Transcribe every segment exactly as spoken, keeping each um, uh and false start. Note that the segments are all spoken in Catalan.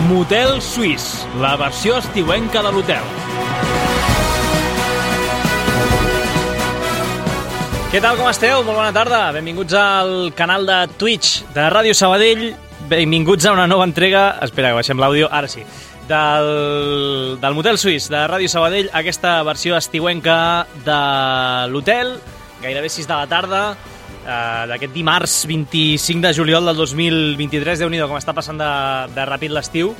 Motel Suís, la versió estiuenca de l'hotel. Què tal, com esteu? Molt bona tarda. Benvinguts al canal de Twitch de Ràdio Sabadell. Benvinguts a una nova entrega, espera que baixem l'àudio, ara sí, del, del Motel Suís de Ràdio Sabadell, aquesta versió estiuenca de l'hotel, gairebé sis de la tarda, eh, d'aquest dimarts vint-i-cinc de juliol del dos mil vint-i-tres. Déu-n'hi-do com està passant de, de ràpid l'estiu.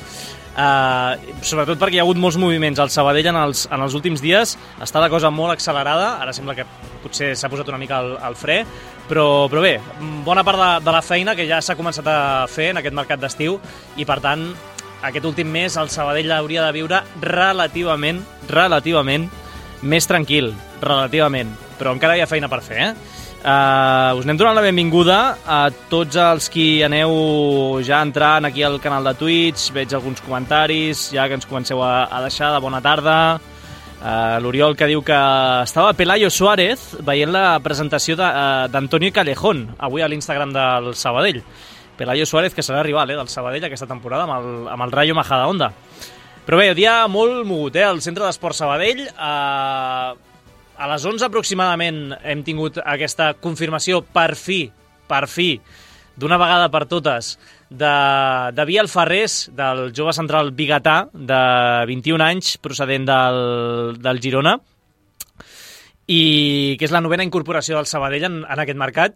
Uh, sobretot perquè hi ha hagut molts moviments al Sabadell en els, en els últims dies. Està la cosa molt accelerada, ara sembla que potser s'ha posat una mica al, al fre, però, però bé, bona part de, de la feina que ja s'ha començat a fer en aquest mercat d'estiu, i per tant aquest últim mes el Sabadell hauria de viure relativament, relativament més tranquil, relativament, però encara hi ha feina per fer, eh? Uh, us anem donant la benvinguda a tots els qui aneu ja entrant aquí al canal de Twitch. Veig alguns comentaris ja que ens comenceu a, a deixar de bona tarda. uh, L'Oriol, que diu que estava Pelayo Suárez veient la presentació d'Antonio Callejón avui a l'Instagram del Sabadell. Pelayo Suárez, que serà rival eh, del Sabadell aquesta temporada amb el, amb el Rayo Majadahonda. Però bé, dia molt mogut eh, al Centre d'Esport Sabadell. uh, A les onze aproximadament hem tingut aquesta confirmació per fi, per fi, d'una vegada per totes, de, de Biel Ferrés, del jove central biguetà de vint-i-un anys, procedent del, del Girona, i que és la novena incorporació del Sabadell en, en aquest mercat.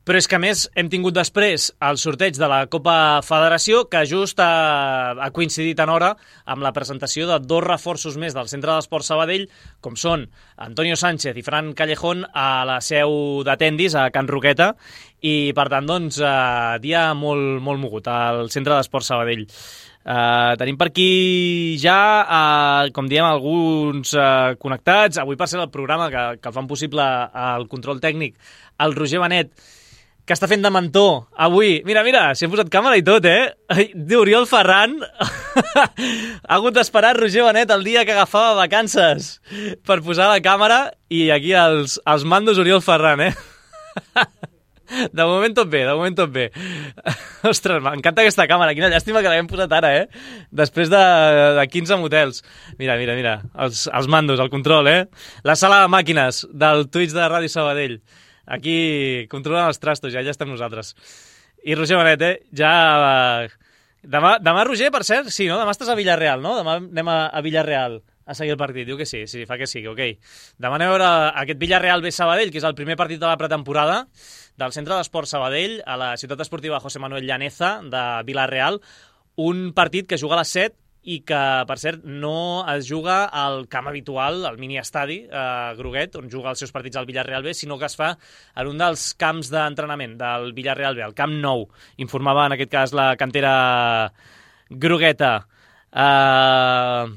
Però és que, a més, hem tingut després el sorteig de la Copa Federació, que just ha, ha coincidit en hora amb la presentació de dos reforços més del Centre d'Esport Sabadell, com són Antonio Sánchez i Fran Callejón, a la seu de Tendis, a Can Roqueta, i, per tant, doncs, eh, dia molt, molt mogut al Centre d'Esport Sabadell. Uh, tenim per aquí ja, uh, com diem, alguns uh, connectats. Avui, per ser el programa que, que el fan possible al control tècnic, el Roger Benet, que està fent de mentor avui. Mira, mira, s'hi hem posat càmera i tot, eh? Oriol Ferran ha hagut d'esperar Roger Benet el dia que agafava vacances per posar la càmera, i aquí els, els mandos Oriol Ferran, eh? De moment tot bé, de moment tot bé. Ostres, m'encanta aquesta càmera, quina llàstima que l'hem posat ara, eh? Després de, de quinze motels. Mira, mira, mira, els, els mandos, el control, eh? La sala de màquines del Twitch de Ràdio Sabadell. Aquí controlen els trastos, ja, ja estem nosaltres. I Roger Benet, eh? Ja... Demà, demà, Roger, per cert, sí, no? Demà estàs a Villarreal, no? Demà anem a, a Villarreal a seguir el partit. Diu que sí, sí, fa que sí, ok. Demà anem a veure aquest Villarreal B Sabadell, que és el primer partit de la pretemporada del Centre d'Esport Sabadell, a la ciutat esportiva José Manuel Llaneza de Villarreal. Un partit que juga a les set i que, per cert, no es juga al camp habitual, al mini-estadi eh, Groguet, on juga els seus partits al Villarreal B, sinó que es fa en un dels camps d'entrenament del Villarreal B, el Camp Nou. Informava, en aquest cas, la cantera grogueta. Uh...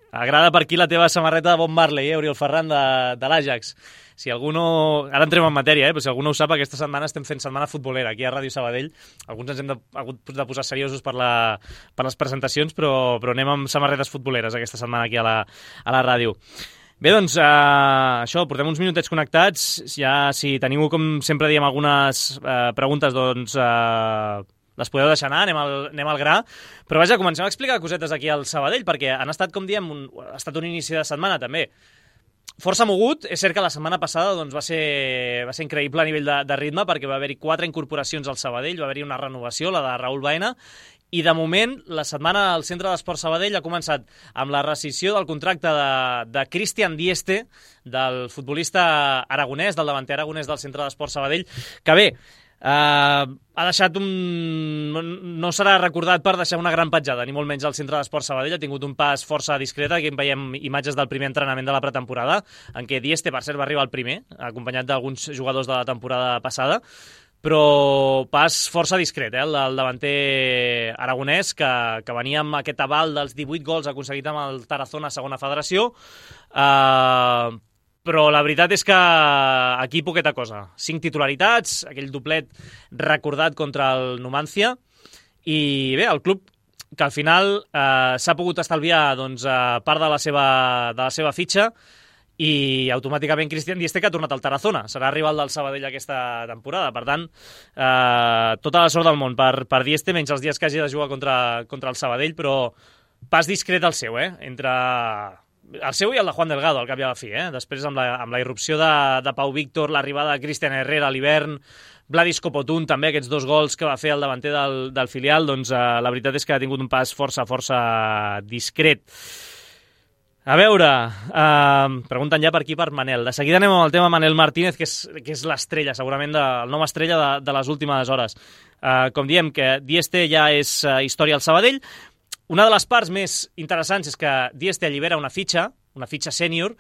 Agrada per aquí la teva samarreta de Bob Marley, eh, Oriol Ferran, de, de l'Ajax. Si algú no... Ara entrem en matèria, eh? Però si algú no ho sap, aquesta setmana estem fent setmana futbolera aquí a Ràdio Sabadell. Alguns ens hem de, hagut de posar seriosos per, la, per les presentacions, però, però anem amb samarretes futboleres aquesta setmana aquí a la, a la ràdio. Bé, doncs, eh, això, portem uns minutets connectats. Ja, si teniu, com sempre diem, algunes eh, preguntes, doncs... Eh, les podeu deixar anar, anem al, anem al gra. Però vaja, comencem a explicar cosetes aquí al Sabadell, perquè han estat, com diem, un, ha estat un inici de setmana també força mogut. És cert que la setmana passada doncs, va, ser, va ser increïble a nivell de, de ritme, perquè va haver-hi quatre incorporacions al Sabadell, va haver-hi una renovació, la de Raúl Baena, i de moment la setmana al Centre d'Esport Sabadell ha començat amb la rescissió del contracte de, de Cristian Dieste, del futbolista aragonès, del davanter aragonès del Centre d'Esport Sabadell, que bé, Uh, ha deixat un... no serà recordat per deixar una gran petjada, ni molt menys al Centre d'Esport Sabadell. Ha tingut un pas força discret. Aquí en veiem imatges del primer entrenament de la pretemporada, en què Dieste, per cert, va arribar al primer, acompanyat d'alguns jugadors de la temporada passada, però pas força discret, eh, el del davanter aragonès, que, que venia amb aquest aval dels divuit gols aconseguit amb el Tarazona a segona federació. Uh, però la veritat és que aquí poqueta cosa. Cinc titularitats, aquell doblet recordat contra el Numancia, i bé, el club que al final eh, s'ha pogut estalviar doncs, eh, part de la seva, de la seva fitxa, i automàticament Cristian Dieste, que ha tornat al Tarazona. Serà rival del Sabadell aquesta temporada. Per tant, eh, tota la sort del món per, per Dieste, menys els dies que hagi de jugar contra, contra el Sabadell, però pas discret el seu, eh? Entre el seu i el de Juan Delgado, al cap i a la fi. Eh? Després, amb la, amb la irrupció de, de Pau Víctor, l'arribada de Cristian Herrera a l'hivern, Vladis Copotún, també, aquests dos gols que va fer el davanter del, del filial, doncs eh, la veritat és que ha tingut un pas força, força discret. A veure, eh, pregunten ja per aquí, per Manel. De seguida anem amb el tema Manel Martínez, que és, que és l'estrella, segurament, de, el nom estrella de, de les últimes hores. Eh, com diem, que Dieste ja és uh, història al Sabadell. Una de les parts més interessants és que Dieste allibera una fitxa, una fitxa sènior,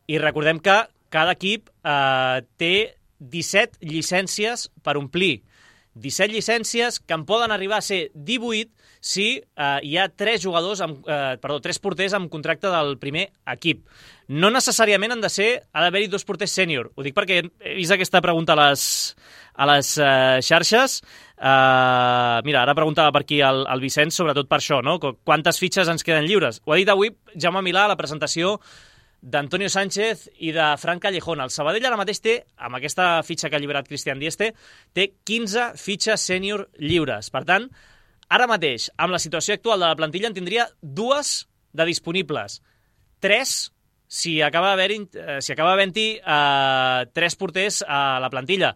i recordem que cada equip eh, té disset llicències per omplir. disset llicències que en poden arribar a ser divuit si eh, hi ha tres jugadors, amb, eh, perdó, tres porters amb contracte del primer equip. No necessàriament han de ser, ha d'haver-hi dos porters sènior. Ho dic perquè he vist aquesta pregunta a les, a les eh, xarxes. Eh, mira, ara preguntava per aquí el, el Vicenç, sobretot per això, no? Quantes fitxes ens queden lliures? Ho ha dit avui Jaume Milà a la presentació d'Antonio Sánchez i de Fran Callejón. El Sabadell ara mateix té, amb aquesta fitxa que ha alliberat Cristian Dieste, té quinze fitxes sènior lliures. Per tant, ara mateix, amb la situació actual de la plantilla, en tindria dues de disponibles. Tres, si acaba havent-hi si acaba havent-hi eh, tres porters a la plantilla.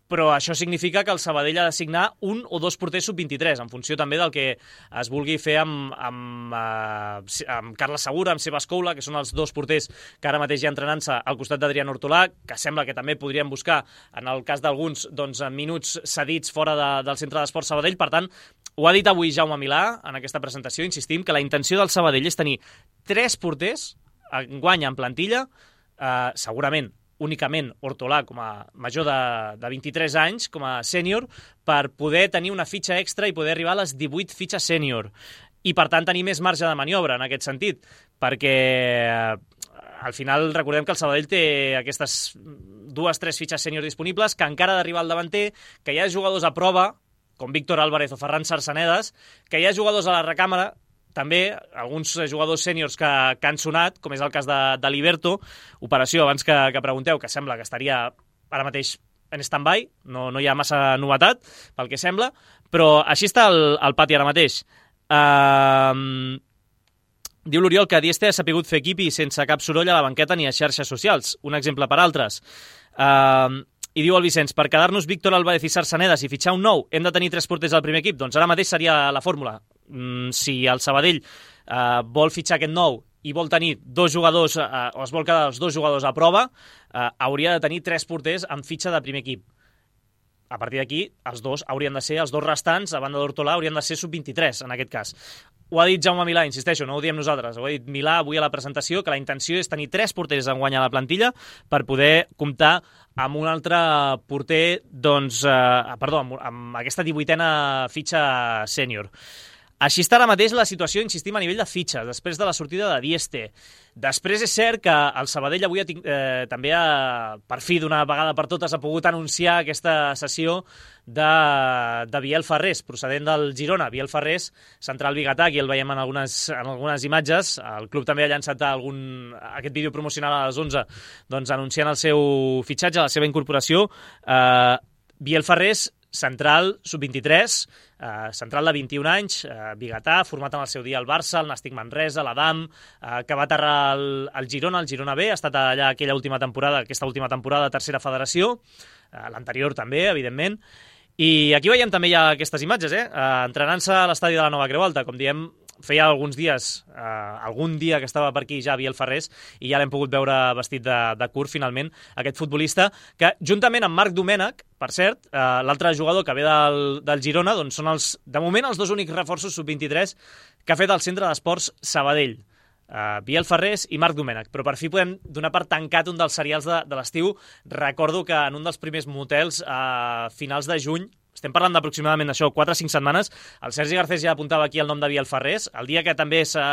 Però això significa que el Sabadell ha de signar un o dos porters sub vint-i-tres, en funció també del que es vulgui fer amb, amb, uh, amb Carles Segura, amb Sebas Coula, que són els dos porters que ara mateix ja entrenant-se al costat d'Adrián Hortolà, que sembla que també podrien buscar, en el cas d'alguns, doncs, minuts cedits fora de, del Centre d'Esports Sabadell. Per tant, ho ha dit avui Jaume Milà en aquesta presentació, insistim, que la intenció del Sabadell és tenir tres porters enguany en plantilla, uh, segurament únicament Hortolà com a major de, de vint-i-tres anys, com a sènior, per poder tenir una fitxa extra i poder arribar a les divuit fitxes sènior. I, per tant, tenir més marge de maniobra en aquest sentit, perquè al final recordem que el Sabadell té aquestes dues, tres fitxes sènior disponibles, que encara ha d'arribar al davanter, que hi ha jugadors a prova, com Víctor Álvarez o Ferran Sarsanedas, que hi ha jugadors a la recàmera, també alguns jugadors sèniors que, que han sonat, com és el cas de, de Liberto, operació, abans que, que pregunteu, que sembla que estaria ara mateix en stand-by, no, no hi ha massa novetat, pel que sembla, però així està el, el pati ara mateix. Uh, diu l'Oriol que Dieste ha sapigut fer equip i sense cap soroll a la banqueta ni a xarxes socials, un exemple per altres. Uh, I diu el Vicenç, per quedar-nos Víctor Álvarez i Sarsanedas i fitxar un nou, hem de tenir tres porters al primer equip? Doncs ara mateix seria la fórmula. Mm, si el Sabadell eh, vol fitxar aquest nou i vol tenir dos jugadors, eh, o es vol quedar els dos jugadors a prova, eh, hauria de tenir tres porters amb fitxa de primer equip. A partir d'aquí, els dos haurien de ser, els dos restants, a banda d'Hortolà, haurien de ser sub vint-i-tres, en aquest cas. Ho ha dit Jaume Milà, insisteixo, no ho diem nosaltres, ho ha dit Milà avui a la presentació, que la intenció és tenir tres porters en guany a la plantilla per poder comptar amb un altre porter, doncs, eh, perdó, amb, amb aquesta divuitena fitxa sènior. Així està ara mateix la situació, insistim, a nivell de fitxes, després de la sortida de Dieste. Després és cert que el Sabadell avui ha, eh, també ha, per fi, d'una vegada per totes, ha pogut anunciar aquesta sessió de, de Biel Ferrés, procedent del Girona. Biel Ferrés, central biguetà, aquí el veiem en algunes, en algunes imatges. El club també ha llançat algun, aquest vídeo promocional a les onze, doncs, anunciant el seu fitxatge, la seva incorporació. Eh, Biel Ferrés, central, sub vint-i-tres, eh, central de vint-i-un anys, eh, biguetà, format en el seu dia al Barça, el Nàstic Manresa, l'Adam, eh, que va aterrar al, al Girona, el Girona B, ha estat allà aquella última temporada, aquesta última temporada de tercera federació, eh, l'anterior també, evidentment, i aquí veiem també ja aquestes imatges, eh? eh entrenant-se a l'estadi de la Nova Creu Alta, com diem, feia alguns dies, eh, algun dia que estava per aquí ja Biel Ferrés, i ja l'hem pogut veure vestit de, de curt, finalment, aquest futbolista, que juntament amb Marc Domènech, per cert, eh, l'altre jugador que ve del, del Girona, doncs són els, de moment els dos únics reforços sub vint-i-tres que ha fet el Centre d'Esports Sabadell. Uh, Biel Ferrés i Marc Domènech, però per fi podem donar per tancat un dels serials de, de l'estiu. Recordo que en un dels primers motels a uh, finals de juny, estem parlant d'aproximadament d'això, quatre o cinc setmanes, el Sergi Garcés ja apuntava aquí el nom de Biel Ferrés, el dia que també se,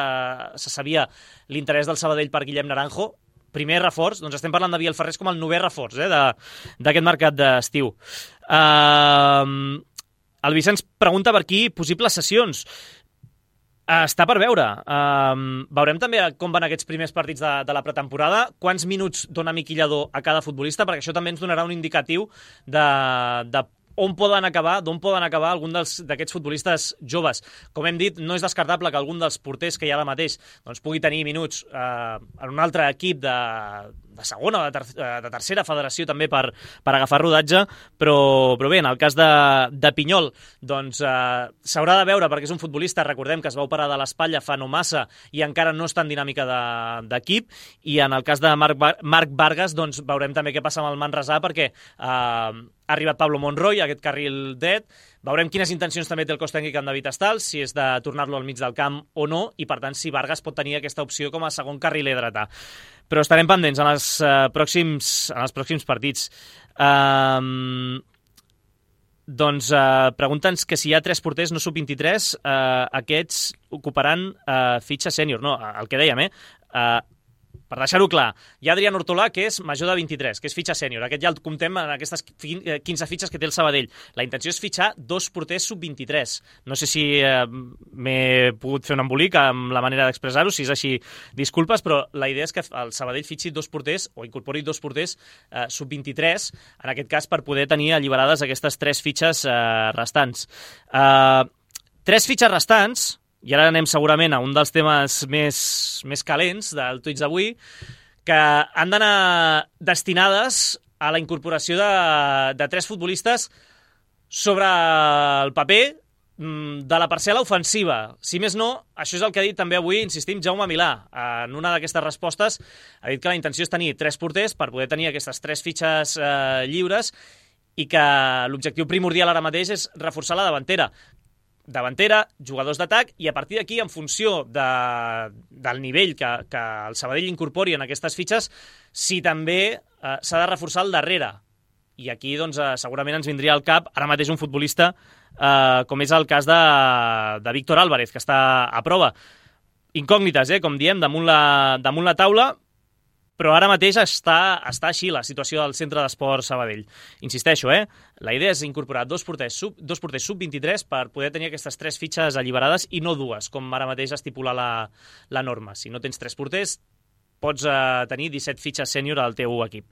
se sabia l'interès del Sabadell per Guillem Naranjo, primer reforç, doncs estem parlant de Biel Ferrés com el novè reforç eh, d'aquest mercat d'estiu. Uh, el Vicenç pregunta per aquí possibles sessions. Està per veure. Um, veurem també com van aquests primers partits de, de la pretemporada, quants minuts dona Miqui Lladó a cada futbolista, perquè això també ens donarà un indicatiu de, de on poden acabar, d'on poden acabar algun d'aquests futbolistes joves. Com hem dit, no és descartable que algun dels porters que hi ha ara mateix doncs, pugui tenir minuts eh, en un altre equip de, de segona o de, ter de tercera federació també per, per agafar rodatge, però, però bé, en el cas de, de Pinyol doncs eh, s'haurà de veure perquè és un futbolista, recordem que es va operar de l'espatlla fa no massa i encara no està en dinàmica d'equip, i en el cas de Marc, Bar Marc Vargas doncs veurem també què passa amb el Manresà perquè eh, ha arribat Pablo Monroy, aquest carril dret. Veurem quines intencions també té el cos tècnic amb David Estals, si és de tornar-lo al mig del camp o no, i per tant si Vargas pot tenir aquesta opció com a segon carriler dretà. Però estarem pendents en els, uh, pròxims, en els pròxims partits. Um, doncs uh, pregunta'ns que si hi ha tres porters no sub vint-i-tres, uh, aquests ocuparan uh, fitxa sènior. No, el que dèiem, eh? Uh, Per deixar-ho clar, hi ha Adrián Ortolà, que és major de vint-i-tres, que és fitxa sènior. Aquest ja el comptem en aquestes quinze fitxes que té el Sabadell. La intenció és fitxar dos porters sub vint-i-tres. No sé si eh, m'he pogut fer un embolic amb la manera d'expressar-ho, si és així, disculpes, però la idea és que el Sabadell fitxi dos porters, o incorpori dos porters eh, sub vint-i-tres, en aquest cas per poder tenir alliberades aquestes tres fitxes eh, restants. Eh, tres fitxes restants, i ara anem segurament a un dels temes més, més calents del Tuits d'avui, que han d'anar destinades a la incorporació de, de tres futbolistes sobre el paper de la parcel·la ofensiva. Si més no, això és el que ha dit també avui, insistim, Jaume Milà. En una d'aquestes respostes ha dit que la intenció és tenir tres porters per poder tenir aquestes tres fitxes eh, lliures i que l'objectiu primordial ara mateix és reforçar la davantera. davantera, jugadors d'atac, i a partir d'aquí, en funció de, del nivell que, que el Sabadell incorpori en aquestes fitxes, si també eh, s'ha de reforçar el darrere. I aquí doncs, eh, segurament ens vindria al cap ara mateix un futbolista eh, com és el cas de, de Víctor Álvarez, que està a prova. Incògnites, eh, com diem, damunt la, damunt la taula, però ara mateix està, està així la situació del Centre d'Esport Sabadell. Insisteixo, eh? La idea és incorporar dos porters sub, dos porters sub vint-i-tres per poder tenir aquestes tres fitxes alliberades i no dues, com ara mateix estipula la, la norma. Si no tens tres porters, pots eh, tenir disset fitxes sènior al teu equip.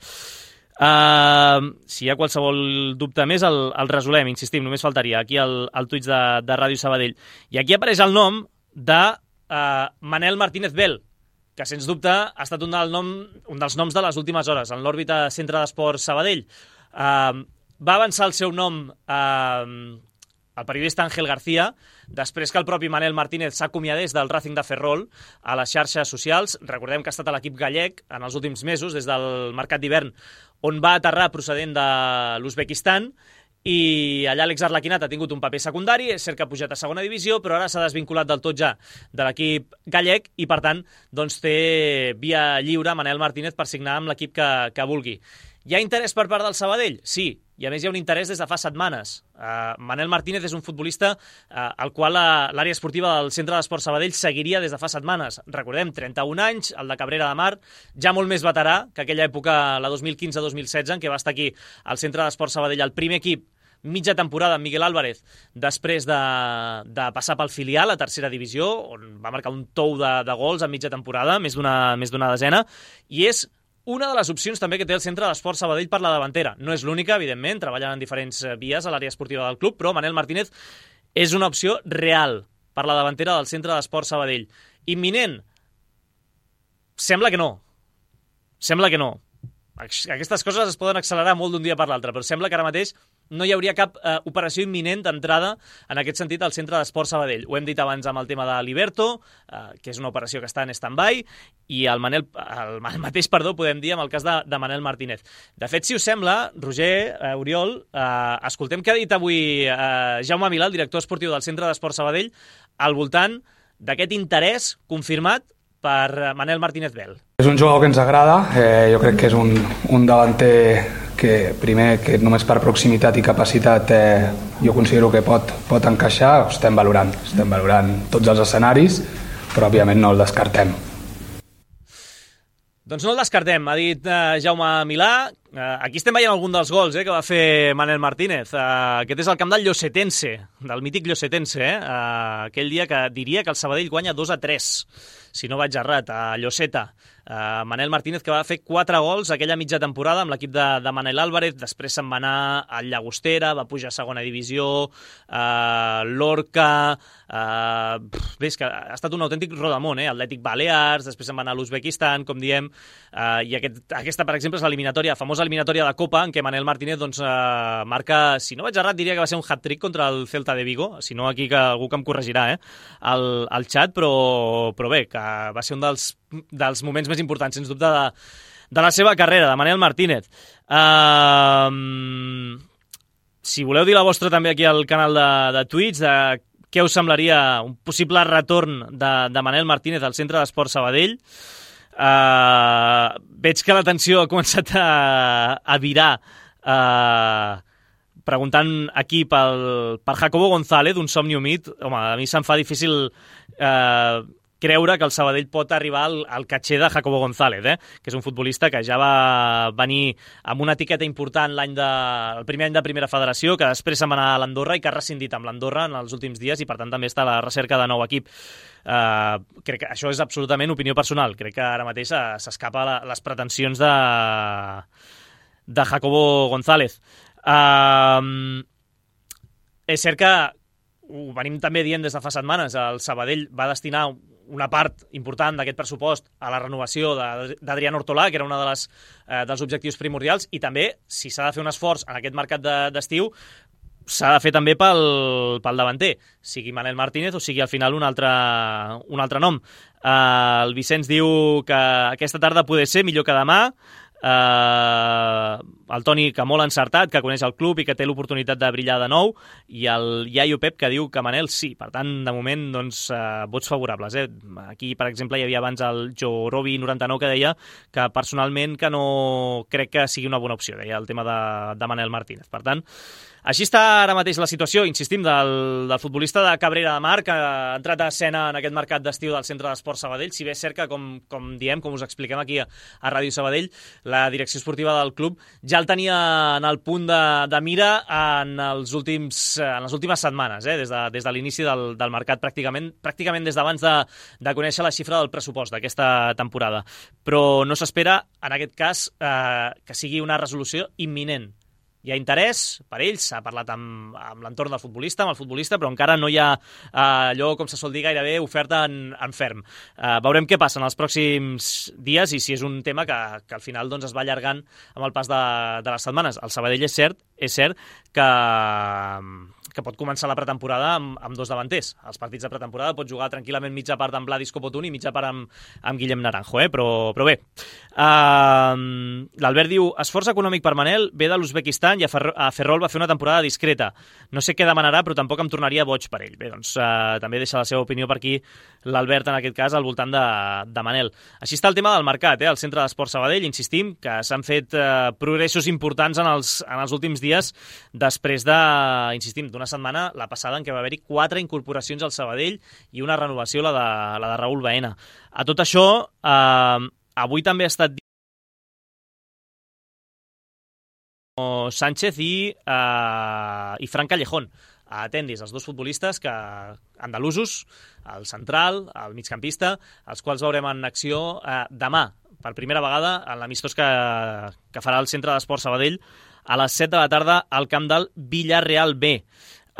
Uh, si hi ha qualsevol dubte més, el, el resolem, insistim, només faltaria aquí el, el tuit de, de Ràdio Sabadell. I aquí apareix el nom de uh, Manel Martínez Bel, que sens dubte ha estat un, del nom, un dels noms de les últimes hores en l'òrbita Centre d'Esport Sabadell. Uh, va avançar el seu nom uh, el periodista Ángel García, després que el propi Manel Martínez s'acomiadés del Racing de Ferrol a les xarxes socials. Recordem que ha estat a l'equip gallec en els últims mesos, des del mercat d'hivern, on va aterrar procedent de l'Uzbekistan, i allà Àlex Arlequinat ha tingut un paper secundari, és cert que ha pujat a segona divisió, però ara s'ha desvinculat del tot ja de l'equip gallec i, per tant, doncs té via lliure Manel Martínez per signar amb l'equip que, que vulgui. Hi ha interès per part del Sabadell? Sí, i a més hi ha un interès des de fa setmanes. Uh, Manel Martínez és un futbolista uh, al qual l'àrea esportiva del Centre d'Esport Sabadell seguiria des de fa setmanes. Recordem, trenta-un anys, el de Cabrera de Mar, ja molt més veterà que aquella època, la dos mil quinze dos mil setze, en què va estar aquí al Centre d'Esport Sabadell, el primer equip, mitja temporada amb Miguel Álvarez, després de, de passar pel filial a tercera divisió, on va marcar un tou de, de gols en mitja temporada, més d'una més d'una desena, i és una de les opcions també que té el Centre d'Esport Sabadell per la davantera. No és l'única, evidentment, treballen en diferents vies a l'àrea esportiva del club, però Manel Martínez és una opció real per la davantera del Centre d'Esport Sabadell. Imminent? Sembla que no. Sembla que no. Aquestes coses es poden accelerar molt d'un dia per l'altre, però sembla que ara mateix no hi hauria cap eh, operació imminent d'entrada en aquest sentit al Centre d'Esport Sabadell. Ho hem dit abans amb el tema de l'Iberto, eh, que és una operació que està en stand-by, i el, Manel, el, el mateix, perdó, podem dir amb el cas de, de Manel Martínez. De fet, si us sembla, Roger, eh, Oriol, eh, escoltem què ha dit avui eh, Jaume Milà, el director esportiu del Centre d'Esport Sabadell, al voltant d'aquest interès confirmat per Manel Martínez Bel. És un jugador que ens agrada, eh, jo crec que és un, un davanter que primer que només per proximitat i capacitat eh, jo considero que pot, pot encaixar, ho estem valorant, estem valorant tots els escenaris, però òbviament no el descartem. Doncs no el descartem, ha dit eh, Jaume Milà, Uh, aquí estem veient algun dels gols eh, que va fer Manel Martínez. Uh, aquest és el camp del Llosetense, del mític Llosetense, eh? uh, aquell dia que diria que el Sabadell guanya dos a tres, si no vaig errat, a Lloseta. Uh, Manel Martínez, que va fer quatre gols aquella mitja temporada amb l'equip de, de Manel Álvarez, després se'n va anar al Llagostera, va pujar a segona divisió, uh, l'Orca, uh, bé, és que ha estat un autèntic rodamón, eh? Atlètic Balears, després se'n va anar a l'Uzbekistan, com diem, uh, i aquest, aquesta, per exemple, és l'eliminatòria, famosa eliminatòria de Copa, en què Manel Martínez doncs, uh, marca, si no vaig errat, diria que va ser un hat-trick contra el Celta de Vigo, si no aquí que algú que em corregirà eh? al, al xat, però, però bé, que va ser un dels dels moments més importants, sens dubte, de, de la seva carrera, de Manel Martínez. Uh, si voleu dir la vostra també aquí al canal de, de Twitch, de què us semblaria un possible retorn de, de Manel Martínez al Centre d'Esports Sabadell. Uh, veig que la tensió ha començat a, a virar uh, preguntant aquí pel, per Jacobo González, d'un somni humit. Home, a mi se'm fa difícil uh, creure que el Sabadell pot arribar al, al catxer de Jacobo González, eh? Que és un futbolista que ja va venir amb una etiqueta important l'any de, el primer any de Primera Federació, que després se'n va anar a l'Andorra i que ha rescindit amb l'Andorra en els últims dies i per tant també està a la recerca de nou equip. Uh, crec que això és absolutament opinió personal. Crec que ara mateix s'escapa la, les pretensions de, de Jacobo González. Uh, és cert que ho venim també dient des de fa setmanes, el Sabadell va destinar una part important d'aquest pressupost a la renovació d'Adrián Hortolà, que era un de les, eh, dels objectius primordials, i també, si s'ha de fer un esforç en aquest mercat d'estiu, de, s'ha de fer també pel, pel davanter, sigui Manel Martínez o sigui al final un altre, un altre nom. Eh, el Vicenç diu que aquesta tarda poder ser millor que demà. Uh, el Toni, que molt encertat, que coneix el club i que té l'oportunitat de brillar de nou, i el Iaio Pep, que diu que Manel sí. Per tant, de moment, doncs, uh, vots favorables. Eh? Aquí, per exemple, hi havia abans el Jorobi noranta-nou que deia que personalment que no crec que sigui una bona opció, deia el tema de, de Manel Martínez. Per tant, així està ara mateix la situació, insistim, del, del futbolista de Cabrera de Mar, que ha entrat a escena en aquest mercat d'estiu del Centre d'Esports Sabadell, si bé és cert que, com, com diem, com us expliquem aquí a, a Ràdio Sabadell, la direcció esportiva del club ja el tenia en el punt de, de mira en, els últims, en les últimes setmanes, eh? des de, des de l'inici del, del mercat, pràcticament, pràcticament des d'abans de, de conèixer la xifra del pressupost d'aquesta temporada. Però no s'espera, en aquest cas, eh, que sigui una resolució imminent. Hi ha interès per ells, s'ha parlat amb, amb l'entorn del futbolista, amb el futbolista, però encara no hi ha eh, allò, com se sol dir, gairebé oferta en, en ferm. Eh, veurem què passa en els pròxims dies i si és un tema que, que al final doncs, es va allargant amb el pas de, de les setmanes. El Sabadell és cert, és cert que, que pot començar la pretemporada amb, amb dos davanters. Els partits de pretemporada pot jugar tranquil·lament mitja part amb Vladis Copotun i mitja part amb, amb Guillem Naranjo, eh? però, però bé. Uh, L'Albert diu, esforç econòmic per Manel ve de l'Uzbekistan i a, Fer a Ferrol va fer una temporada discreta. No sé què demanarà, però tampoc em tornaria boig per ell. Bé, doncs uh, també deixa la seva opinió per aquí l'Albert, en aquest cas, al voltant de, de Manel. Així està el tema del mercat, eh? El Centre d'Esports Sabadell, insistim, que s'han fet uh, progressos importants en els, en els últims dies després de, insistim, d'una setmana, la passada, en què va haver-hi quatre incorporacions al Sabadell i una renovació, la de, la de Raúl Baena. A tot això, eh, avui també ha estat Sánchez i, eh, i Fran Callejón a Tendis, els dos futbolistes que andalusos, el central, el migcampista, els quals veurem en acció eh, demà, per primera vegada, en l'amistós que, que farà el Centre d'Esports Sabadell a les set de la tarda al camp del Villarreal B.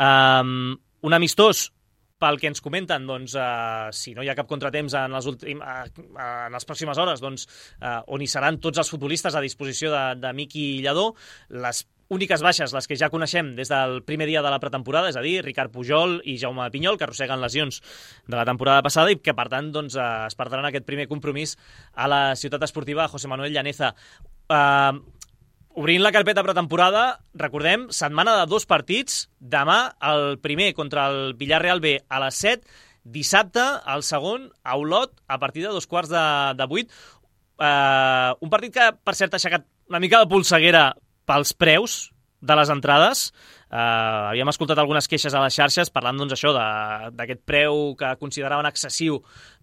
Um, un amistós, pel que ens comenten, doncs, uh, si no hi ha cap contratemps en les, últim, uh, uh, en les pròximes hores, doncs, uh, on hi seran tots els futbolistes a disposició de, de Miqui Lladó, les úniques baixes, les que ja coneixem des del primer dia de la pretemporada, és a dir, Ricard Pujol i Jaume Pinyol, que arrosseguen lesions de la temporada passada i que, per tant, doncs, uh, es perdran aquest primer compromís a la ciutat esportiva José Manuel Llaneza. Uh, Obrint la carpeta pretemporada, recordem, setmana de dos partits, demà el primer contra el Villarreal B a les set, dissabte el segon a Olot a partir de dos quarts de, de vuit. Uh, un partit que, per cert, ha aixecat una mica de polseguera pels preus de les entrades. Uh, havíem escoltat algunes queixes a les xarxes parlant doncs això d'aquest preu que consideraven excessiu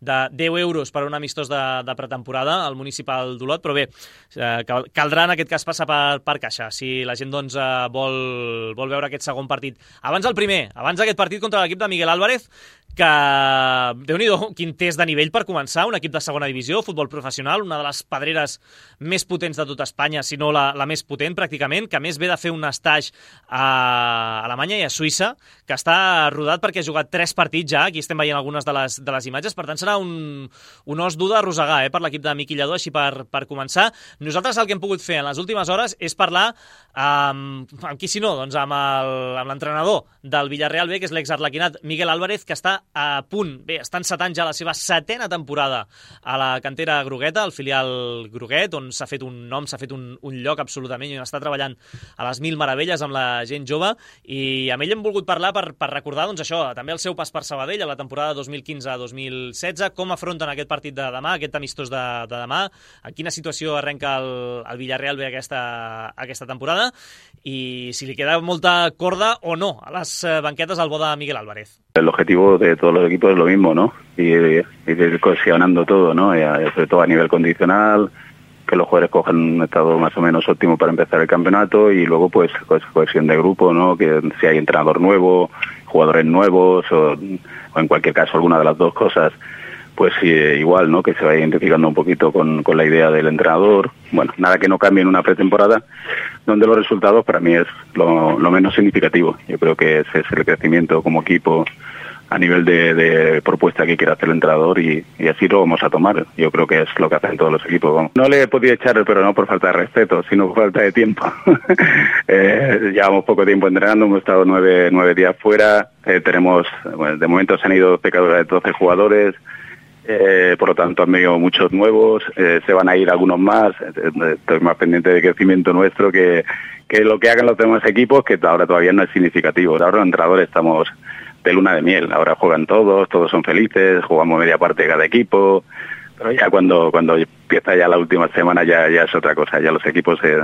de deu euros per un amistós de, de pretemporada al municipal d'Olot, però bé, uh, caldrà en aquest cas passar per, per caixa si la gent doncs, uh, vol, vol veure aquest segon partit. Abans del primer, abans d'aquest partit contra l'equip de Miguel Álvarez, que, déu-n'hi-do, quin test de nivell per començar, un equip de segona divisió, futbol professional, una de les pedreres més potents de tot Espanya, si no la, la més potent pràcticament, que més ve de fer un estatge a Alemanya i a Suïssa, que està rodat perquè ha jugat tres partits ja, aquí estem veient algunes de les, de les imatges, per tant serà un, un os dur d'arrossegar eh, per l'equip de Miqui Lladó, així per, per començar. Nosaltres el que hem pogut fer en les últimes hores és parlar amb, amb qui si no, doncs amb l'entrenador del Villarreal B, que és l'exarlequinat Miguel Álvarez, que està a punt, bé, està encetant ja la seva setena temporada a la cantera grogueta, al filial groguet, on s'ha fet un nom, s'ha fet un, un lloc absolutament, i on està treballant a les mil meravelles amb la gent jove, i amb ell hem volgut parlar per, per recordar doncs això, també el seu pas per Sabadell a la temporada dos mil quinze dos mil setze, com afronten aquest partit de demà, aquest amistós de, de demà, a quina situació arrenca el, el Villarreal B aquesta, aquesta temporada, i si li queda molta corda o no a les banquetes al bo de Miguel Álvarez. El objetivo de todos los equipos es lo mismo, ¿no? Y, y ir cohesionando todo, ¿no? Y sobre todo a nivel condicional, que los jugadores cojan un estado más o menos óptimo para empezar el campeonato, y luego pues, pues cohesión de grupo, ¿no? Que si hay entrenador nuevo, jugadores nuevos o, o en cualquier caso alguna de las dos cosas, pues sí, igual, ¿no? Que se vaya identificando un poquito con, con la idea del entrenador. Bueno, nada que no cambie en una pretemporada, donde los resultados para mí es lo, lo menos significativo. Yo creo que ese es el crecimiento como equipo a nivel de, de propuesta que quiere hacer el entrenador, y, y así lo vamos a tomar. Yo creo que es lo que hacen todos los equipos. Vamos. No le he podido echar, pero no por falta de respeto, sino por falta de tiempo. eh, llevamos poco tiempo entrenando, hemos estado nueve, nueve días fuera, eh, tenemos, bueno, de momento se han ido doce jugadores, Eh, por lo tanto han venido muchos nuevos, eh, se van a ir algunos más, estoy más pendiente de crecimiento nuestro que, que lo que hagan los demás equipos, que ahora todavía no es significativo. Ahora los entrenadores estamos de luna de miel, ahora juegan todos, todos son felices, jugamos media parte de cada equipo, pero ya cuando cuando empieza ya la última semana ya, ya es otra cosa, ya los equipos se,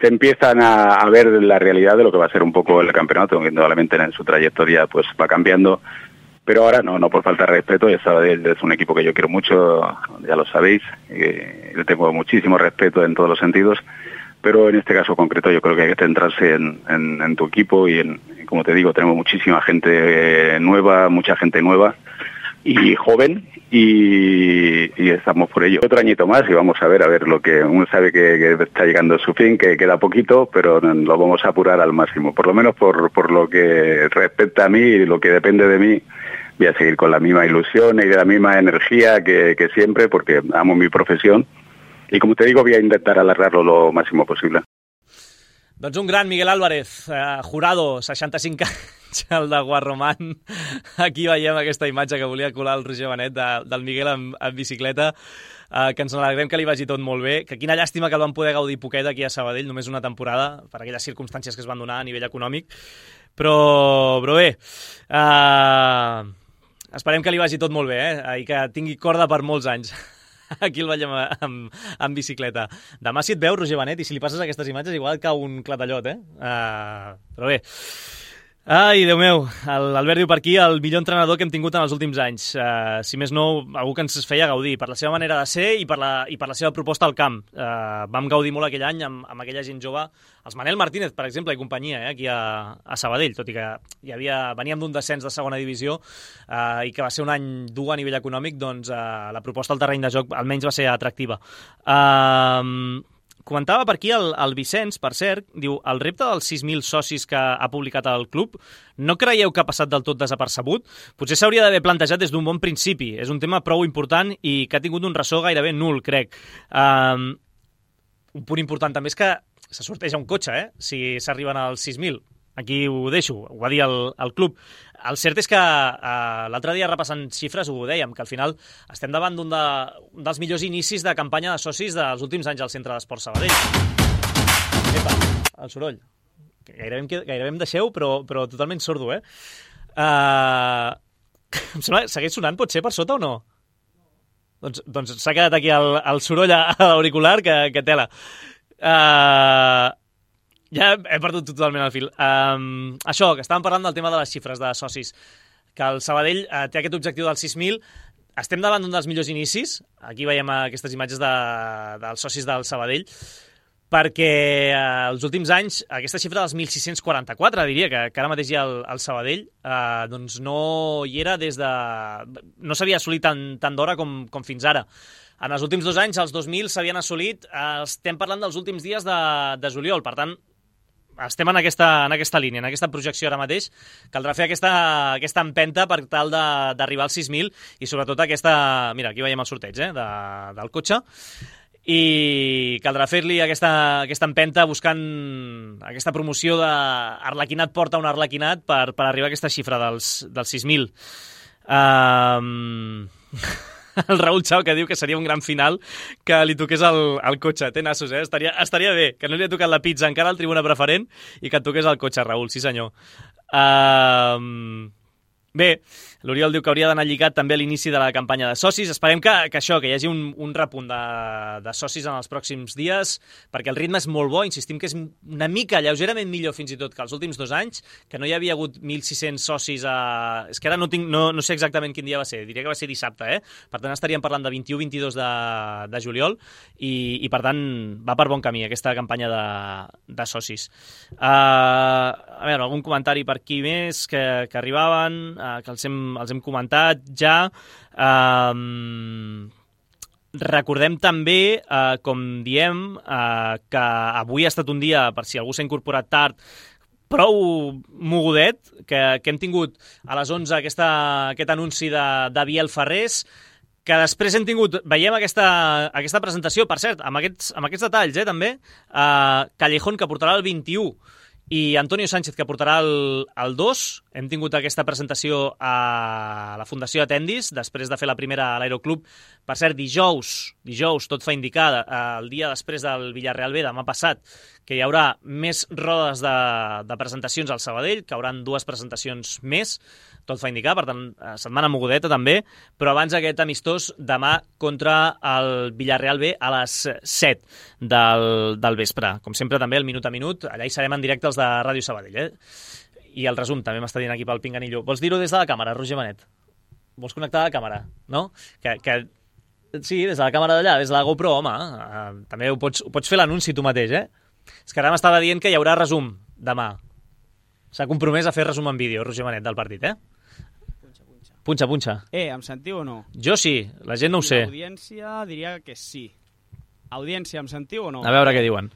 se empiezan a, a ver la realidad de lo que va a ser un poco el campeonato, que indudablemente en su trayectoria pues va cambiando. Pero ahora no, no por falta de respeto, ya Sabadell es un equipo que yo quiero mucho, ya lo sabéis, eh, le tengo muchísimo respeto en todos los sentidos, pero en este caso concreto yo creo que hay que centrarse en, en, en tu equipo y, en, como te digo, tenemos muchísima gente nueva, mucha gente nueva y joven, y, y estamos por ello. Otro añito más y vamos a ver, a ver lo que uno sabe que, que está llegando a su fin, que queda poquito, pero lo vamos a apurar al máximo, por lo menos por, por lo que respecta a mí y lo que depende de mí. Voy a seguir con la misma ilusión y de la misma energía que, que siempre, porque amo mi profesión. Y como te digo, voy a intentar alargarlo lo máximo posible. Doncs un gran Miguel Álvarez, eh, jurado, seixanta-cinc anys, el de Guarromán. Aquí veiem aquesta imatge que volia colar el Roger Benet de, del Miguel en, en bicicleta, eh, que ens alegrem que li vagi tot molt bé, que quina llàstima que el van poder gaudir poquet aquí a Sabadell, només una temporada, per aquelles circumstàncies que es van donar a nivell econòmic. Però, però bé, eh, esperem que li vagi tot molt bé, eh, i que tingui corda per molts anys. Aquí el veiem amb, amb bicicleta. Demà si et veu, Roger Benet, i si li passes aquestes imatges igual cau un clatallot, eh? Uh, però bé. Ai, Déu meu, l'Albert diu per aquí el millor entrenador que hem tingut en els últims anys. Uh, si més no, algú que ens feia gaudir per la seva manera de ser i per la, i per la seva proposta al camp. Uh, vam gaudir molt aquell any amb, amb aquella gent jove. Els Manel Martínez, per exemple, i companyia, eh, aquí a, a Sabadell, tot i que hi havia, veníem d'un descens de segona divisió uh, i que va ser un any dur a nivell econòmic, doncs uh, la proposta al terreny de joc almenys va ser atractiva. Uh, Comentava per aquí el, el Vicenç, per cert, diu, el repte dels sis mil socis que ha publicat el club, no creieu que ha passat del tot desapercebut? Potser s'hauria d'haver plantejat des d'un bon principi. És un tema prou important i que ha tingut un ressò gairebé nul, crec. Um, un punt important també és que se sorteja un cotxe, eh? Si s'arriben als sis mil. Aquí ho deixo, ho va dir el, el club. El cert és que uh, l'altre dia repassant xifres ho dèiem, que al final estem davant d'un de, un dels millors inicis de campanya de socis dels últims anys al Centre d'Esports Sabadell. Epa, el soroll. Gairebé em, gairebé em deixeu, però, però totalment sordo, eh? Uh, em sembla, segueix sonant, pot ser, per sota o no? Doncs, doncs s'ha quedat aquí el, el soroll a, a l'auricular, que, que tela. Uh, Ja he perdut totalment el fil. Um, això, que estàvem parlant del tema de les xifres de socis, que el Sabadell uh, té aquest objectiu dels sis mil. Estem davant d'un dels millors inicis. Aquí veiem aquestes imatges de, dels socis del Sabadell, perquè eh, els últims anys aquesta xifra dels mil sis-cents quaranta-quatre, diria, que, que ara mateix hi ha el, el Sabadell, eh, doncs no hi era des de... no s'havia assolit tant, tant d'hora com, com fins ara. En els últims dos anys, els dos mil s'havien assolit, eh, estem parlant dels últims dies de, de juliol, per tant, estem en aquesta, en aquesta línia, en aquesta projecció ara mateix. Caldrà fer aquesta, aquesta empenta per tal d'arribar als sis mil i sobretot aquesta... Mira, aquí veiem el sorteig eh, de, del cotxe. I caldrà fer-li aquesta, aquesta empenta buscant aquesta promoció de Arlequinat porta un Arlequinat per, per arribar a aquesta xifra dels, dels sis mil. Um... El Raül Chao, que diu que seria un gran final que li toqués el, el cotxe. Té nassos, eh? Estaria, estaria bé, que no li ha tocat la pizza encara al tribuna preferent i que et toqués el cotxe, Raül, sí senyor. Um... Bé, l'Oriol diu que hauria d'anar lligat també a l'inici de la campanya de socis. Esperem que, que això, que hi hagi un, un repunt de, de socis en els pròxims dies, perquè el ritme és molt bo, insistim que és una mica, lleugerament millor fins i tot que els últims dos anys, que no hi havia hagut mil sis-cents socis a... És que ara no, tinc, no, no sé exactament quin dia va ser, diria que va ser dissabte, eh? Per tant estaríem parlant de vint-i-u vint-i-dos de, de juliol i, i per tant va per bon camí aquesta campanya de, de socis. Uh, a veure, algun comentari per aquí més que, que arribaven... que els hem, els hem comentat ja. Um, recordem també, uh, com diem, uh, que avui ha estat un dia, per si algú s'ha incorporat tard, prou mogudet, que, que hem tingut a les onze aquesta, aquest anunci de, de Biel Ferrés, que després hem tingut, veiem aquesta, aquesta presentació, per cert, amb aquests, amb aquests detalls, eh, també, uh, Callejón, que portarà el vint-i-u, i Antonio Sánchez, que portarà el, el dos. Hem tingut aquesta presentació a la Fundació Atendis, després de fer la primera a l'Aeroclub. Per cert, dijous, dijous, tot fa indicar, el dia després del Villarreal B, demà passat, que hi haurà més rodes de, de presentacions al Sabadell, que hauran dues presentacions més, tot fa indicar, per tant, setmana mogudeta també, però abans aquest amistós demà contra el Villarreal B a les set del, del vespre. Com sempre també el minut a minut, allà hi serem en directe els de Ràdio Sabadell, eh? I el resum també m'està dient aquí pel Pinganillo. Vols dir-ho des de la càmera, Roger Benet? Vols connectar a la càmera, no? Que, que... Sí, des de la càmera d'allà, des de la GoPro, home. Uh, també ho pots, ho pots fer l'anunci tu mateix, eh? És que ara m'estava dient que hi haurà resum demà. S'ha compromès a fer resum en vídeo, Roger Benet, del partit, eh? Punxa, punxa. Punxa, punxa. Eh, em sentiu o no? Jo sí, la gent no ho sé. L'audiència diria que sí. Audiència, em sentiu o no? A veure què diuen.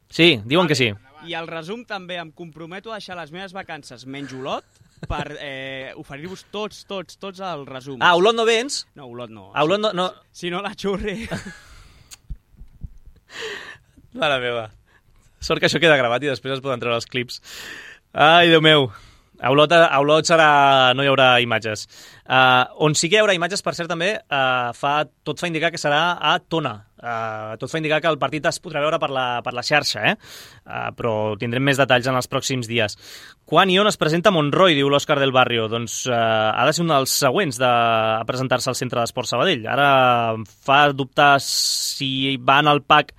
Sí, diuen vale. que sí. I el resum també, em comprometo a deixar les meves vacances menys Olot per eh, oferir-vos tots, tots, tots el resum. Ah, Olot no vens? No, Olot no. A Olot no... no... Si, si no la xurri... Mare meva. Sort que això queda gravat i després es poden treure els clips. Ai, Déu meu. A Olot, a Olot serà... no hi haurà imatges. Uh, on sí que hi haurà imatges, per cert, també, uh, fa, tot fa indicar que serà a Tona. Uh, tot fa indicar que el partit es podrà veure per la, per la xarxa, eh? Uh, però tindrem més detalls en els pròxims dies. Quan i on es presenta Monroy, diu l'Òscar del Barrio? Doncs uh, ha de ser un dels següents de, a presentar-se al Centre d'Esport Sabadell. Ara fa dubtar si van al pack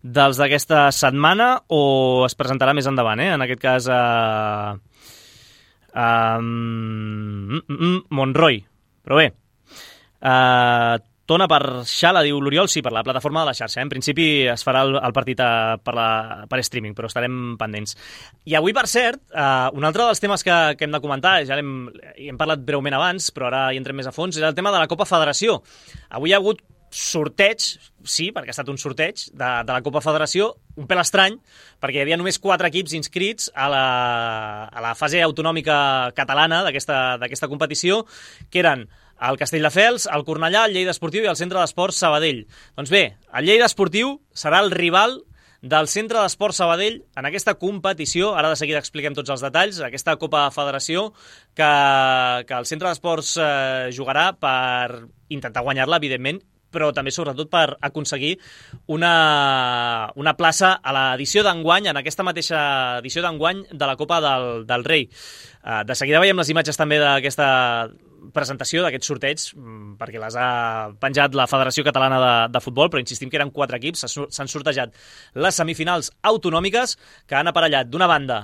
dels d'aquesta setmana o es presentarà més endavant, eh? En aquest cas... Uh, Um, mm, mm, Monroy, però bé, uh, Tona per Xala, diu l'Oriol, sí, per la plataforma de la xarxa, eh? En principi es farà el, el partit a, per, la, per streaming, però estarem pendents. I avui, per cert, uh, un altre dels temes que, que hem de comentar, ja hem, hem parlat breument abans, però ara hi entrem més a fons, és el tema de la Copa Federació. Avui hi ha hagut sorteig, sí, perquè ha estat un sorteig de, de la Copa Federació, un pèl estrany, perquè hi havia només quatre equips inscrits a la, a la fase autonòmica catalana d'aquesta competició, que eren el Castelldefels, el Cornellà, el Lleida Esportiu i el Centre d'Esports Sabadell. Doncs bé, el Lleida Esportiu serà el rival del Centre d'Esports Sabadell en aquesta competició. Ara de seguida expliquem tots els detalls. Aquesta Copa Federació que, que el Centre d'Esports eh, jugarà per intentar guanyar-la, evidentment, però també sobretot per aconseguir una, una plaça a l'edició d'enguany, en aquesta mateixa edició d'enguany de la Copa del, del Rei. Uh, de seguida veiem les imatges també d'aquesta presentació d'aquests sorteig, perquè les ha penjat la Federació Catalana de, de Futbol, però insistim que eren quatre equips, s'han sortejat les semifinals autonòmiques que han aparellat d'una banda,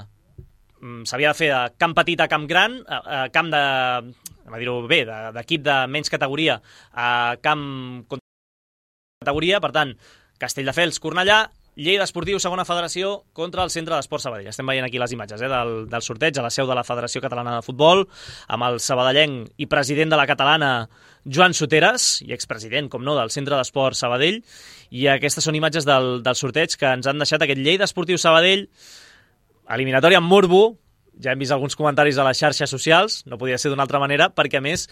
s'havia de fer de camp petit a camp gran, a camp de, a dir-ho bé, d'equip de menys categoria a camp categoria, per tant, Castelldefels, Cornellà, Lleida Esportiu, segona federació, contra el Centre d'Esport Sabadell. Estem veient aquí les imatges eh, del, del sorteig a la seu de la Federació Catalana de Futbol, amb el sabadellenc i president de la catalana Joan Soteres, i expresident, com no, del Centre d'Esport Sabadell, i aquestes són imatges del, del sorteig que ens han deixat aquest Lleida Esportiu Sabadell, eliminatòria amb morbo, ja hem vist alguns comentaris a les xarxes socials, no podia ser d'una altra manera, perquè a més,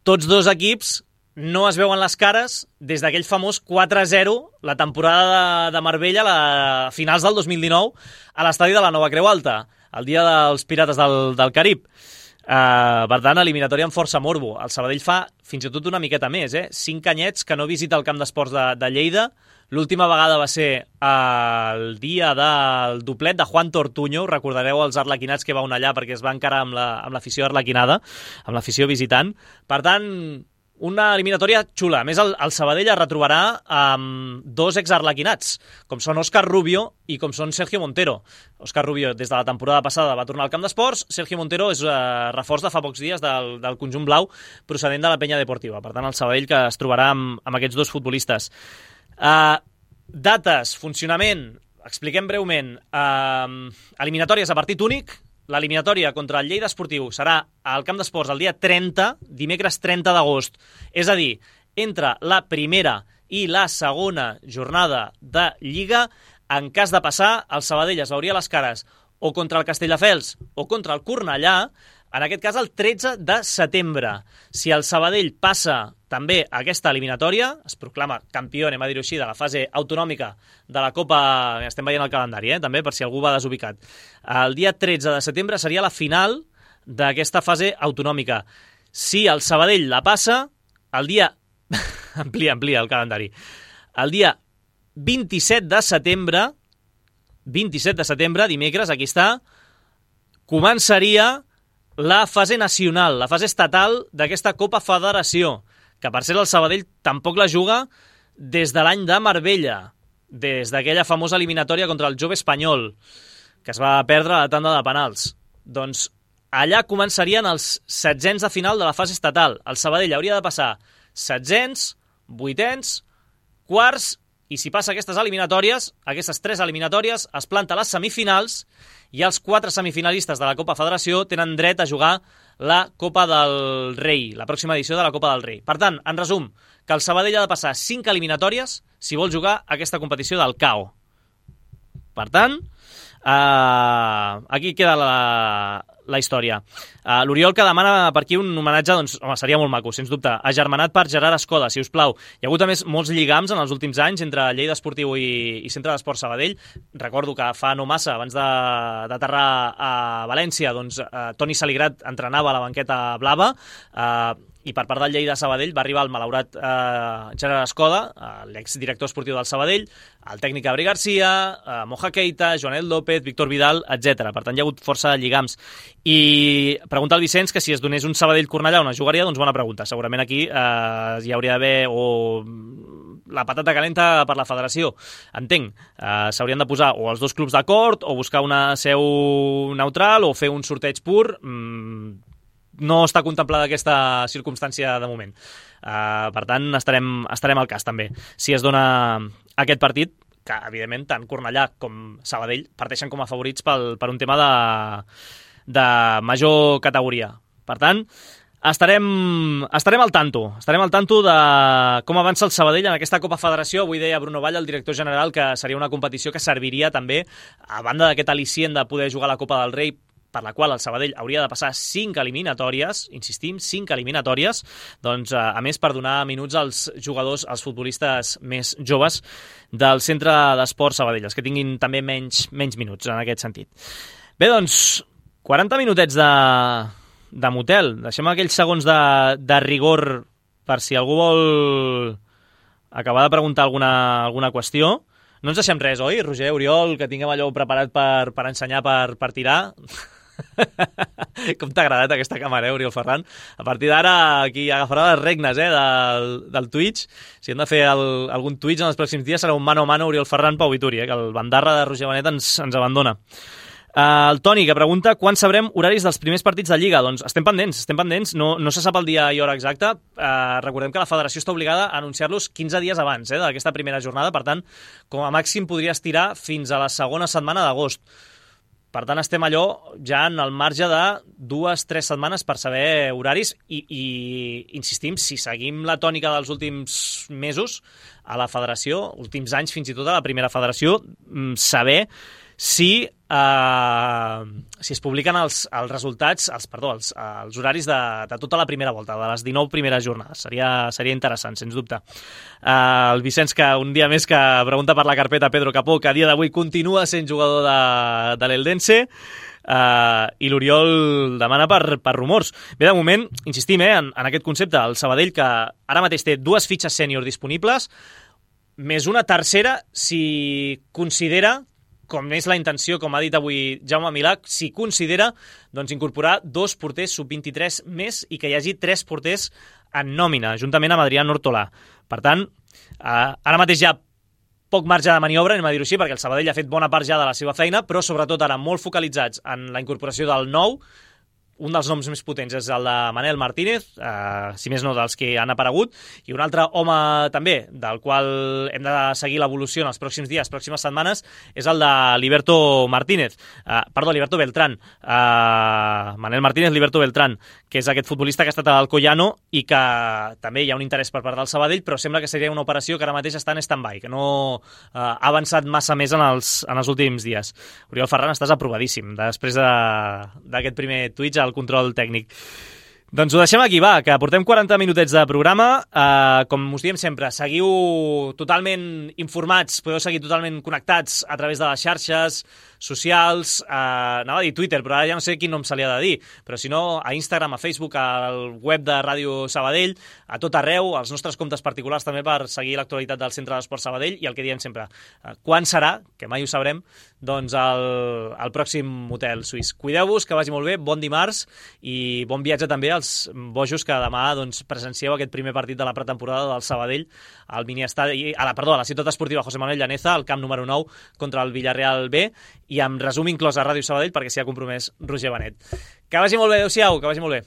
tots dos equips no es veuen les cares des d'aquell famós quatre a zero, la temporada de, de Marbella, a finals del dos mil dinou, a l'estadi de la Nova Creu Alta, el dia dels Pirates del, del Carib. Uh, per tant, eliminatòria amb força morbo. El Sabadell fa fins i tot una miqueta més, eh? Cinc anyets que no visita el camp d'esports de, de Lleida. L'última vegada va ser el dia del doplet de Juan Tortuño. Recordareu els arlequinats que va on allà perquè es va encarar amb l'afició la, arlequinada, amb l'afició visitant. Per tant, una eliminatòria xula. A més, el, el Sabadell es retrobarà amb dos exarlequinats, com són Òscar Rubio i com són Sergio Montero. Òscar Rubio, des de la temporada passada, va tornar al camp d'esports. Sergio Montero és eh, reforç de fa pocs dies del, del conjunt blau procedent de la Penya Deportiva. Per tant, el Sabadell que es trobarà amb, amb aquests dos futbolistes. Uh, dates, funcionament, expliquem breument. Uh, eliminatòries a partit únic. L'eliminatòria contra el Lleida Esportiu serà al camp d'esports el dia trenta, dimecres trenta d'agost. És a dir, entre la primera i la segona jornada de Lliga, en cas de passar, el Sabadell es veuria les cares o contra el Castelldefels o contra el Cornellà, en aquest cas el tretze de setembre. Si el Sabadell passa també aquesta eliminatòria, es proclama campió, anem a dir-ho així, de la fase autonòmica de la Copa, estem veient el calendari, eh, també, per si algú va desubicat. El dia tretze de setembre seria la final d'aquesta fase autonòmica. Si el Sabadell la passa, el dia... amplia, amplia el calendari. El dia vint-i-set de setembre, vint-i-set de setembre, dimecres, aquí està, començaria la fase nacional, la fase estatal d'aquesta Copa Federació, que per ser el Sabadell tampoc la juga des de l'any de Marbella, des d'aquella famosa eliminatòria contra el Jove Espanyol, que es va perdre a la tanda de penals. Doncs allà començarien els setzents de final de la fase estatal. El Sabadell hauria de passar setzents, vuitens, quarts, i si passa aquestes eliminatòries, aquestes tres eliminatòries, es planta a les semifinals i els quatre semifinalistes de la Copa Federació tenen dret a jugar la Copa del Rei, la pròxima edició de la Copa del Rei. Per tant, en resum, que el Sabadell ha de passar cinc eliminatòries si vol jugar aquesta competició del C A O. Per tant, Uh, aquí queda la, la història. Uh, L'Oriol que demana per aquí un homenatge, doncs, home, seria molt maco, sens dubte. Agermanat per Gerard Escoda, si us plau. Hi ha hagut, a més, molts lligams en els últims anys entre Lleida Esportiu i, i Centre d'Esport Sabadell. Recordo que fa no massa, abans d'aterrar a València, doncs, uh, Toni Saligrat entrenava a la banqueta blava, uh, i per part del Lleida Sabadell va arribar el malaurat eh, Gerard Escoda, eh, l'exdirector esportiu del Sabadell, el tècnic Gabri Garcia, eh, Moja Keita, Joanel López, Víctor Vidal, etcètera. Per tant, hi ha hagut força lligams. I pregunta al Vicenç que si es donés un Sabadell-Cornellà on es jugaria, doncs bona pregunta. Segurament aquí eh, hi hauria d'haver o la patata calenta per la federació. Entenc, eh, s'haurien de posar o els dos clubs d'acord o buscar una seu neutral o fer un sorteig pur. Mm, no està contemplada aquesta circumstància de moment. Uh, per tant, estarem, estarem al cas, també. Si es dona aquest partit, que, evidentment, tant Cornellà com Sabadell parteixen com a favorits pel, per un tema de, de major categoria. Per tant, estarem, estarem al tanto. Estarem al tanto de com avança el Sabadell en aquesta Copa Federació. Avui deia Bruno Vall, el director general, que seria una competició que serviria també, a banda d'aquest al·licient de poder jugar la Copa del Rei, per la qual el Sabadell hauria de passar cinc eliminatòries, insistim, cinc eliminatòries, doncs, a més, per donar minuts als jugadors, als futbolistes més joves del Centre d'Esport Sabadell, els que tinguin també menys, menys minuts en aquest sentit. Bé, doncs, quaranta minutets de, de motel. Deixem aquells segons de, de rigor per si algú vol acabar de preguntar alguna, alguna qüestió. No ens deixem res, oi, Roger, Oriol, que tinguem allò preparat per, per ensenyar, per, per tirar? Com t'ha agradat aquesta càmera, eh, Oriol Ferran? A partir d'ara, aquí agafarà les regnes eh, del, del Twitch. Si hem de fer el, algun Twitch en els pròxims dies, serà un mano a mano Oriol Ferran Pau Vituri, eh, que el bandarra de Roger Benet ens, ens abandona. Uh, el Toni, que pregunta quan sabrem horaris dels primers partits de Lliga. Doncs estem pendents, estem pendents. No, no se sap el dia i hora exacta. Uh, recordem que la federació està obligada a anunciar-los quinze dies abans eh, d'aquesta primera jornada. Per tant, com a màxim podria estirar fins a la segona setmana d'agost. Per tant, estem allò ja en el marge de dues, tres setmanes per saber horaris i, i insistim, si seguim la tònica dels últims mesos a la federació, últims anys fins i tot a la primera federació, saber si, eh, si es publiquen els, els resultats, els, perdó, els, els horaris de, de tota la primera volta, de les dinou primeres jornades. Seria, seria interessant, sens dubte. Eh, el Vicenç, que un dia més que pregunta per la carpeta Pedro Capó, que a dia d'avui continua sent jugador de, de l'Eldense, eh, i l'Oriol demana per, per rumors. Bé, de moment, insistim eh, en, en aquest concepte, el Sabadell, que ara mateix té dues fitxes sènior disponibles, més una tercera si considera, com és la intenció, com ha dit avui Jaume Milà, si considera doncs, incorporar dos porters sub vint-i-tres més i que hi hagi tres porters en nòmina, juntament amb Adrià Nortolà. Per tant, eh, ara mateix hi ha poc marge de maniobra, anem a dir-ho així, perquè el Sabadell ha fet bona part ja de la seva feina, però sobretot ara molt focalitzats en la incorporació del nou. Un dels noms més potents és el de Manel Martínez, eh, si més no dels que han aparegut, i un altre home també, del qual hem de seguir l'evolució en els pròxims dies, pròximes setmanes, és el de Liberto Martínez, eh, perdó, Liberto Beltrán, eh, Manel Martínez, Liberto Beltrán, que és aquest futbolista que ha estat al Alcoyano i que també hi ha un interès per part del Sabadell, però sembla que seria una operació que ara mateix està en stand-by, que no eh, ha avançat massa més en els, en els últims dies. Oriol Ferran, estàs aprovadíssim després d'aquest primer Twitch al control tècnic. Doncs ho deixem aquí, va, que portem quaranta minutets de programa. Uh, com us diem sempre, seguiu totalment informats, podeu seguir totalment connectats a través de les xarxes socials, uh, anava a dir Twitter, però ara ja no sé quin nom se li ha de dir, però si no, a Instagram, a Facebook, al web de Ràdio Sabadell, a tot arreu, als nostres comptes particulars també per seguir l'actualitat del Centre d'Esport Sabadell i el que diem sempre, uh, quan serà, que mai ho sabrem, doncs el, el pròxim hotel suís. Cuideu-vos, que vagi molt bé, bon dimarts i bon viatge també als bojos que demà doncs, presencieu aquest primer partit de la pretemporada del Sabadell al miniestadi, a la, perdó, a la ciutat esportiva José Manuel Llaneza, al camp número nou contra el Villarreal B, i amb resum inclòs a Ràdio Sabadell perquè s'hi ha compromès Roger Benet. Que vagi molt bé, adeu-siau, que vagi molt bé.